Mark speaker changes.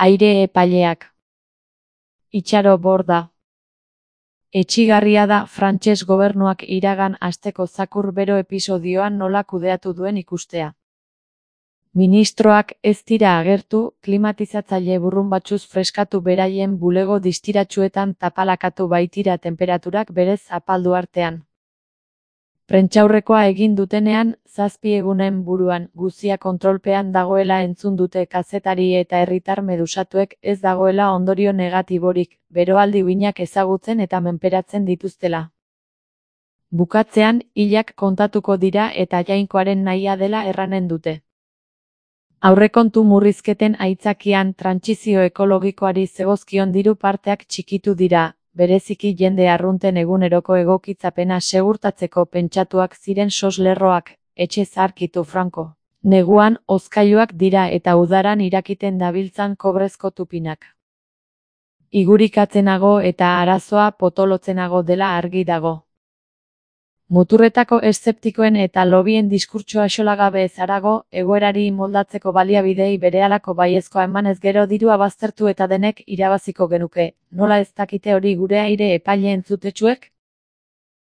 Speaker 1: Aire epaileak. Itxaro Borda. Etsigarria da frantses gobernuak iragan asteko zakur bero episodioan nola kudeatu duen ikustea. Ministroak ez dira agertu, klimatizatzaile burrunbatxuz freskatu beraien bulego distiratsuetan tapalakatu baitira tenperaturak berez apaldu artean. Prentsaurrekoa egin dutenean, 7 egunen buruan, guzia kontrolpean dagoela entzun dute kazetari eta herritar medusatuek ez dagoela ondorio negatiborik, beroaldi uinak ezagutzen eta menperatzen dituztela. Bukatzean, hilak kontatuko dira eta Jainkoaren nahia dela erranen dute. Aurrekontu murrizketen aitzakian trantsizio ekologikoari zegozkion diru parteak txikitu dira, bereziki jende arrunten eguneroko egokitzapena segurtatzeko pentsatuak ziren soslerroak, etxe zaharkitu Franco. Neguan, hozkailuak dira eta udaran irakiten dabiltzan kobrezko tupinak. Igurikatzenago eta arazoa potolotzenago dela argi dago. Muturretako eszeptikoen eta lobien diskurtsoa axolagabe ez harago, egoerari moldatzeko baliabidei berehalako baiezkoa emanez gero dirua baztertu eta denek irabaziko genuke, nola ez dakite hori gure aire epaile entzutetsuek?